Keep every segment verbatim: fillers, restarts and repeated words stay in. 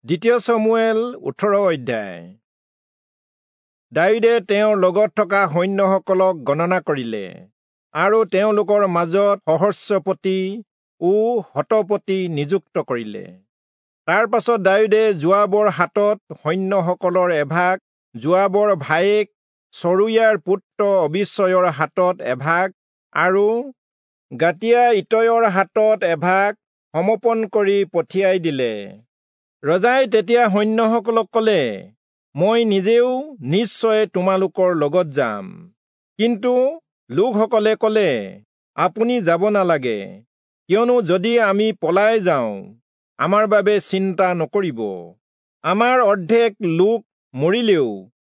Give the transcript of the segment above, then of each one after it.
দ্বিতীয় চমূৱেল ওঠৰ অধ্যায়। দায়ূদে তেওঁৰ লগত থকা সৈন্যসকলক গণনা কৰিলে আৰু তেওঁলোকৰ মাজত সহস্ৰপতি ও শতপতি নিযুক্ত কৰিলে। তাৰ পাছত দায়ূদে যোৱাবৰ হাতত সৈন্যসকলৰ এভাগ, যোৱাবৰ ভায়েক চৰুয়াৰ পুত্ৰ অবিচয়ৰ হাতত এভাগ আৰু গাতীয়া ইতয়ৰ হাতত এভাগ সমৰ্পণ কৰি পঠিয়াই দিলে। ৰজাই তেতিয়া সৈন্যসকলক কলে, মই নিজেও নিশ্চয় তোমালোকৰ লগত যাম। কিন্তু লোকসকলে কলে, আপুনি যাব নালাগে, কিয়নো যদি আমি পলাই যাওঁ আমাৰ বাবে চিন্তা নকৰিব, আমাৰ অৰ্ধেক লোক মৰিলেও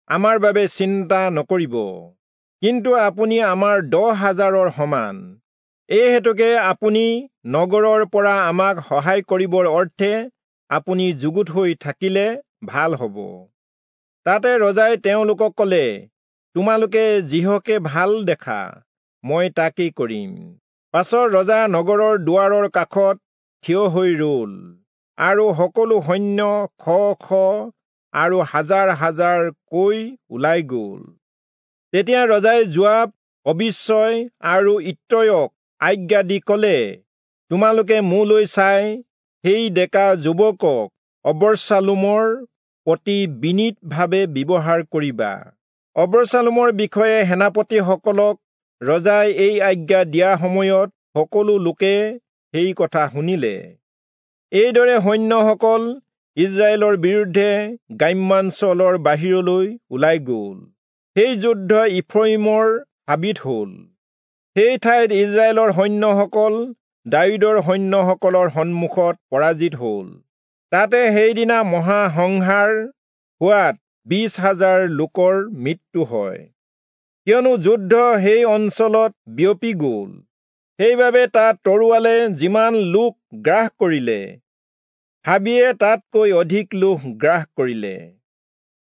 আমাৰ বাবে চিন্তা নকৰিব, কিন্তু আপুনি আমাৰ দহ হাজাৰৰ সমান। এই হেতুকে আপুনি নগৰৰ পৰা আমাক সহায় কৰিবৰ অৰ্থে আপুনি যুগুত হৈ থাকিলে ভাল হ'ব। তাতে ৰজাই তেওঁলোকক কলে, তোমালোকে যিহকে ভাল দেখা মই তাকেই কৰিম। পাছত ৰজা নগৰৰ দুৱাৰৰ কাষত থিয় হৈ ৰল আৰু সকলো সৈন্য শ শ আৰু হাজাৰ হাজাৰ কৈ ওলাই গল। তেতিয়া ৰজাই যোৱাব, অবিচয় আৰু ইত্তয়ক আজ্ঞা দি কলে, তোমালোকে মোলৈ চাই সেই ডেকা যুৱকক অবচালোমৰ প্ৰতি বিনীতভাৱে ব্যৱহাৰ কৰিবা। অবচালোমৰ বিষয়ে সেনাপতিসকলক ৰজাই এই আজ্ঞা দিয়া সময়ত সকলো লোকে সেই কথা শুনিলে। এইদৰে সৈন্যসকল ইজৰাইলৰ বিৰুদ্ধে গ্ৰাম্যাঞ্চলৰ বাহিৰলৈ ওলাই গল। সেই যুদ্ধ ইফ্ৰয়িমৰ হাবিত হল। সেই ঠাইত ইজৰাইলৰ সৈন্যসকল দায়ূদৰ সৈন্যসকলৰ সন্মুখত পৰাজিত হল। তাতে সেইদিনা মহাসংহাৰ হোৱাত বিশ হাজাৰ লোকৰ মৃত্যু হয়, কিয়নো যুদ্ধ সেই অঞ্চলত বিয়পি গল। সেইবাবে তাত তৰোৱালে যিমান লোক গ্ৰাস কৰিলে, হাবিয়ে তাতকৈ অধিক লোক গ্ৰাস কৰিলে।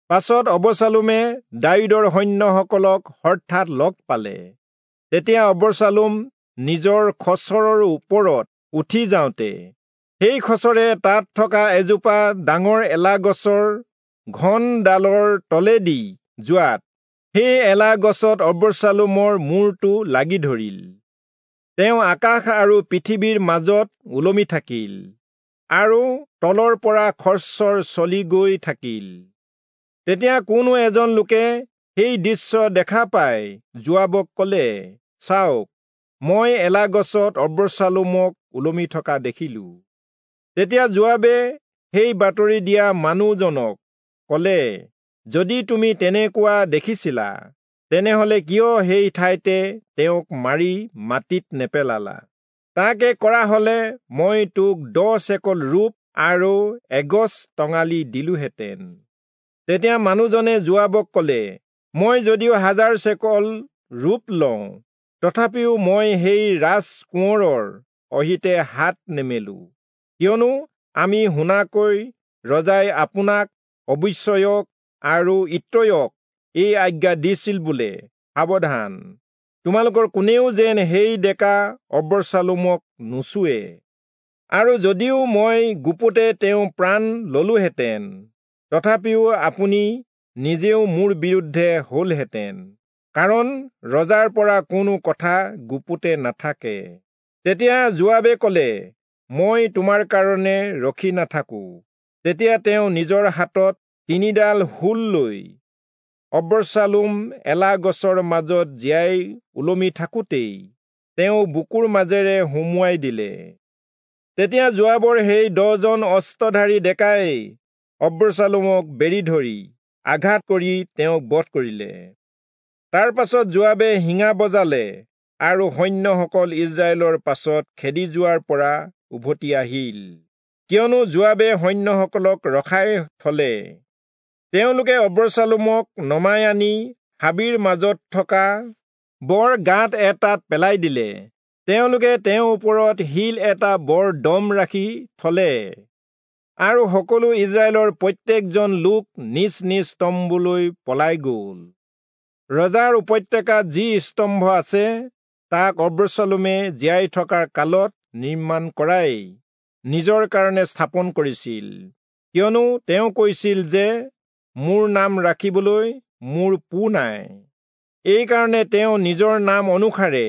পাছত অবচালোমে দায়ূদৰ সৈন্যসকলক হঠাৎ লগ পালে। তেতিয়া অবচালোম নিজৰ খচৰৰ ওপৰত উঠি যাওঁতে সেই খচৰে তাত থকা এজোপা ডাঙৰ এলা গছৰ ঘন ডালৰ তলেদি যোৱাত সেই এলা গছত অবচালোমৰ মূৰটো লাগি ধৰিল। তেওঁ আকাশ আৰু পৃথিৱীৰ মাজত ওলমি থাকিল আৰু তলৰ পৰা খৰচৰ চলি গৈ থাকিল। তেতিয়া কোনো এজন লোকে সেই দৃশ্য দেখা পাই যোৱাবক কলে, চাওক, মই এলা গছত অবচালোমক ওলমি থকা দেখিলো। তেতিয়া যোৱাবে সেই বাতৰি দিয়া মানুহজনক কলে, যদি তুমি তেনেকুৱা দেখিছিলা, তেনেহলে কিয় সেই ঠাইতে তেওঁক মাৰি মাটিত নেপেলালা? তাকে কৰা হলে মই তোক দহ চেকল ৰূপ আৰু এগছ টঙালি দিলোহেঁতেন। তেতিয়া মানুহজনে যোৱাবক কলে, মই যদিও হাজাৰ চেকল ৰূপ লওঁ, তথাপিও মই সেই ৰাজকোঁৱৰৰ অহিতে হাত নেমেলো, কিয়নো আমি শুনাকৈ ৰজাই আপোনাক, অবিচয়ক আৰু ইত্তয়ক এই আজ্ঞা দিছিল বোলে, সাৱধান, তোমালোকৰ কোনেও যেন সেই ডেকা অবচালোমক নুচুৱে। আৰু যদিও মই গুপুতে তেওঁ প্ৰাণ ললোহেঁতেন, তথাপিও আপুনি নিজেও মোৰ বিৰুদ্ধে হলহেঁতেন, কাৰণ ৰজাৰ পৰা কোনো কথা গুপুতে নাথাকে। তেতিয়া যোৱাবে কলে, মই তোমাৰ কাৰণে ৰখি নাথাকো। তেতিয়া তেওঁ নিজৰ হাতত তিনিডাল হুল লৈ অবচালোম এলা গছৰ মাজত জীয়াই ওলমি থাকোঁতেই তেওঁ বুকুৰ মাজেৰে সুমুৱাই দিলে। তেতিয়া যোৱাবৰ সেই দহজন অস্ত্ৰধাৰী ডেকাই অবচালোমক বেৰি ধৰি আঘাত কৰি তেওঁক বধ কৰিলে। তাৰ পাছত যোৱাবে শিঙা বজালে আৰু সৈন্যসকল ইজৰাইলৰ পাছত খেদি যোৱাৰ পৰা উভতি আহিল, কিয়নো যোৱাবে সৈন্যসকলক ৰখাই থলে। তেওঁলোকে অবচালোমক নমাই আনি হাবিৰ মাজত থকা বৰ গাঁত এটাত পেলাই দিলে। তেওঁলোকে তেওঁৰ ওপৰত শিল এটা বৰ দম ৰাখি থলে আৰু সকলো ইজৰাইলৰ প্ৰত্যেকজন লোক নিজ নিজ তম্বুলৈ পলাই গল। ৰজাৰ উপত্যকাত যি স্তম্ভ আছে, তাক অবচালোমে জীয়াই থকাৰ কালত নিৰ্মাণ কৰাই নিজৰ কাৰণে স্থাপন কৰিছিল। কিয়নো তেওঁ কৈছিল যে মোৰ নাম ৰাখিবলৈ মোৰ পো নাই। এইকাৰণে তেওঁ নিজৰ নাম অনুসাৰে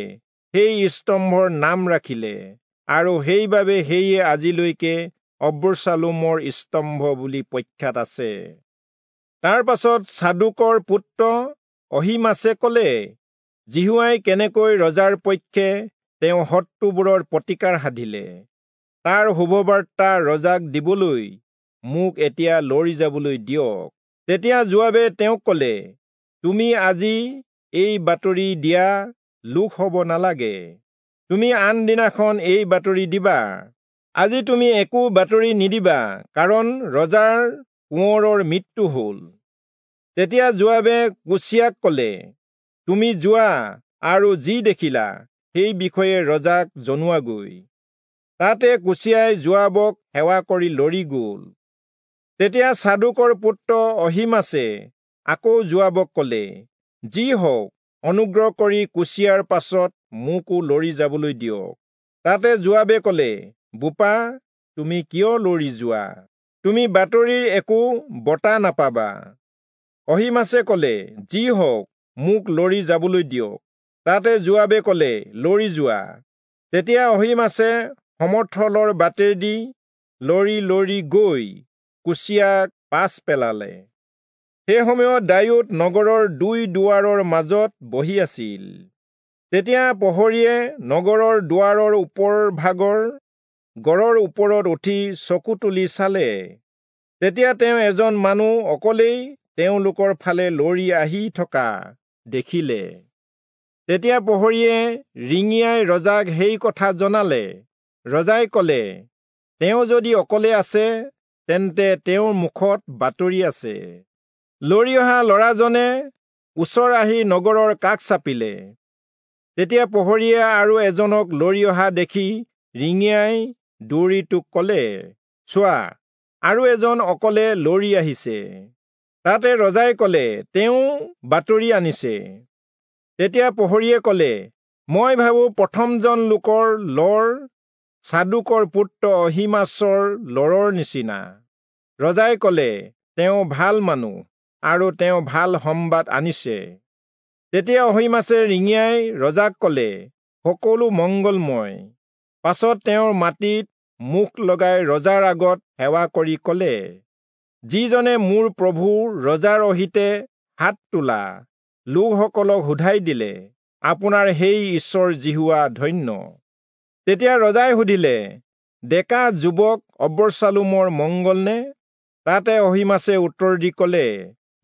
সেই স্তম্ভৰ নাম ৰাখিলে, আৰু সেইবাবে সেয়ে আজিলৈকে অব্যাশালোমৰ স্তম্ভ বুলি প্ৰখ্যাত আছে। তাৰ পাছত চাদোকৰ পুত্ৰ অহীমাচে কলে, যিহোৱাই কেনেকৈ ৰজাৰ পক্ষে তেওঁ শত্ৰুবোৰৰ প্ৰতিকাৰ সাধিলে, তাৰ শুভবাৰ্তা ৰজাক দিবলৈ মোক এতিয়া লৰি যাবলৈ দিয়ক। তেতিয়া যোৱাবে তেওঁক কলে, তুমি আজি এই বাতৰি দিয়া লোক হব নালাগে, তুমি আন দিনাখন এই বাতৰি দিবা। আজি তুমি একো বাতৰি নিদিবা, কাৰণ ৰজাৰ কোঁৱৰৰ মৃত্যু হল। তেতিয়া যোৱাবে কুচিয়াক কলে, তুমি যোৱা আৰু যি দেখিলা সেই বিষয়ে ৰজাক জনোৱাগৈ। তাতে কুচিয়াই যোৱাবক সেৱা কৰি লৰি গল। তেতিয়া চাদোকৰ পুত্ৰ অহীমাচে আকৌ যোৱাবক কলে, যি হওক, অনুগ্ৰহ কৰি কুচিয়াৰ পাছত মোকো লৰি যাবলৈ দিয়ক। তাতে যোৱাবে কলে, বোপা, তুমি কিয় লৰি যোৱা? তুমি বাতৰিৰ একো বঁটা নাপাবা। অহীমাচে কলে, যি হওক, মোক লৰি যাবলৈ দিয়ক। তাতে যোৱাবে কলে, লৰি যোৱা। তেতিয়া অহীমাচে সমথলৰ বাটেদি লৰি লৰি গৈ কুচিয়াক পাছ পেলালে। সেই সময়ত দায়ূদ নগৰৰ দুই দুৱাৰৰ মাজত বহি আছিল। তেতিয়া প্ৰহৰীয়ে নগৰৰ দুৱাৰৰ ওপৰ ভাগৰ গড়ৰ ওপৰত উঠি চকু তুলি চালে। তেতিয়া তেওঁ এজন মানুহ অকলেই তেওঁলোকৰ ফালে লৰি আহি থকা দেখিলে। তেতিয়া প্ৰহৰীয়ে ৰিঙিয়াই ৰজাক সেই কথা জনালে। ৰজাই কলে, তেওঁ যদি অকলে আছে, তেন্তে তেওঁৰ মুখত বাতৰি আছে। লৰি অহা ল'ৰাজনে ওচৰ আহি নগৰৰ কাষ চাপিলে। তেতিয়া প্ৰহৰীয়ে আৰু এজনক লৰি অহা দেখি ৰিঙিয়াই দৌৰিটোক কলে, চোৱা, আৰু এজন অকলে লৰি আহিছে। তাতে ৰজাই কলে, তেওঁ বাতৰি আনিছে। তেতিয়া প্ৰহৰীয়ে কলে, মই ভাবো প্ৰথমজন লোকৰ লৰ চাদোকৰ পুত্ৰ অহীমাচৰ লৰৰ নিচিনা। ৰজাই কলে, তেওঁ ভাল মানুহ আৰু তেওঁ ভাল সম্বাদ আনিছে। তেতিয়া অহীমাচে ৰিঙিয়াই ৰজাক কলে, সকলো মংগলময়। পাছত তেওঁৰ মাটিত মুখ লগাই ৰজাৰ আগত সেৱা কৰি কলে, যিজনে মোৰ প্ৰভু ৰজাৰ অহিতে হাত তোলা লোকসকলক সোধাই দিলে, আপোনাৰ সেই ঈশ্বৰ যিহোৱা ধন্য। তেতিয়া ৰজাই সুধিলে, ডেকা যুৱক অব্যাশালোমৰ মংগলনে? তাতে অহীমাচে উত্তৰ দি কলে,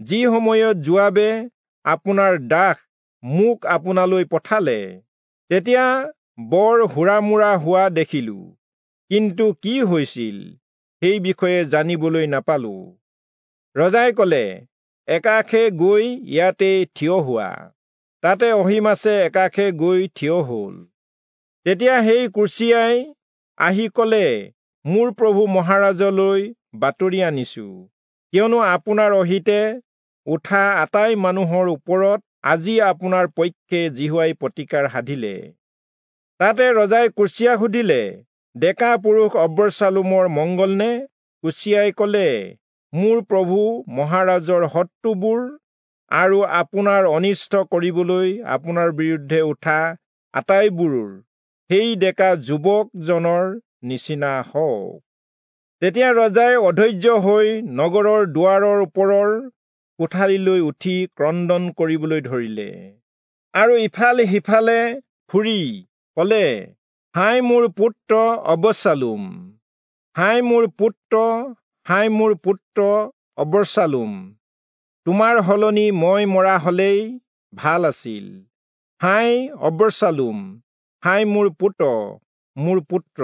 যি সময়ত যোৱাবে আপোনাৰ দাস মোক আপোনালৈ পঠালে, তেতিয়া বৰ হুৰামুৰা হোৱা দেখিলো, কিন্তু কি হৈছিল সেই বিষয়ে জানিবলৈ নাপালো। ৰজাই কলে, একাষে গৈ ইয়াতে থিয় হোৱা। তাতে অহীমাচে একাষে গৈ থিয় হল। তেতিয়া সেই কুচিয়াই আহি কলে, মোৰ প্ৰভু মহাৰাজলৈ বাতৰি আনিছো, কিয়নো আপোনাৰ অহিতে উঠা আটাই মানুহৰ ওপৰত আজি আপোনাৰ পক্ষে যিহোৱাই প্ৰতিকাৰ সাধিলে। তাতে ৰজাই কুচিয়াক সুধিলে, ডেকা পুৰুষ অব্যাশালোমৰ মংগলনে? কুচিয়াই কলে, মোৰ প্ৰভু মহাৰাজৰ শত্ৰুবোৰ আৰু আপোনাৰ অনিষ্ট কৰিবলৈ আপোনাৰ বিৰুদ্ধে উঠা আটাইবোৰ সেই ডেকা যুৱকজনৰ নিচিনা হওক। তেতিয়া ৰজাই অধৈৰ্য হৈ নগৰৰ দুৱাৰৰ ওপৰৰ কোঠালিলৈ উঠি ক্ৰন্দন কৰিবলৈ ধৰিলে আৰু ইফালে সিফালে ফুৰি কলে, হায় মোৰ পুত্ৰ অব্যাশালোম, হায় মোৰ পুত্ৰ, হায় মোৰ পুত্ৰ অব্যাশালোম, তোমাৰ সলনি মই মৰা হলেই ভাল আছিল। হায় অব্যাশালোম, হায় মোৰ পুত্ৰ, মোৰ পুত্ৰ।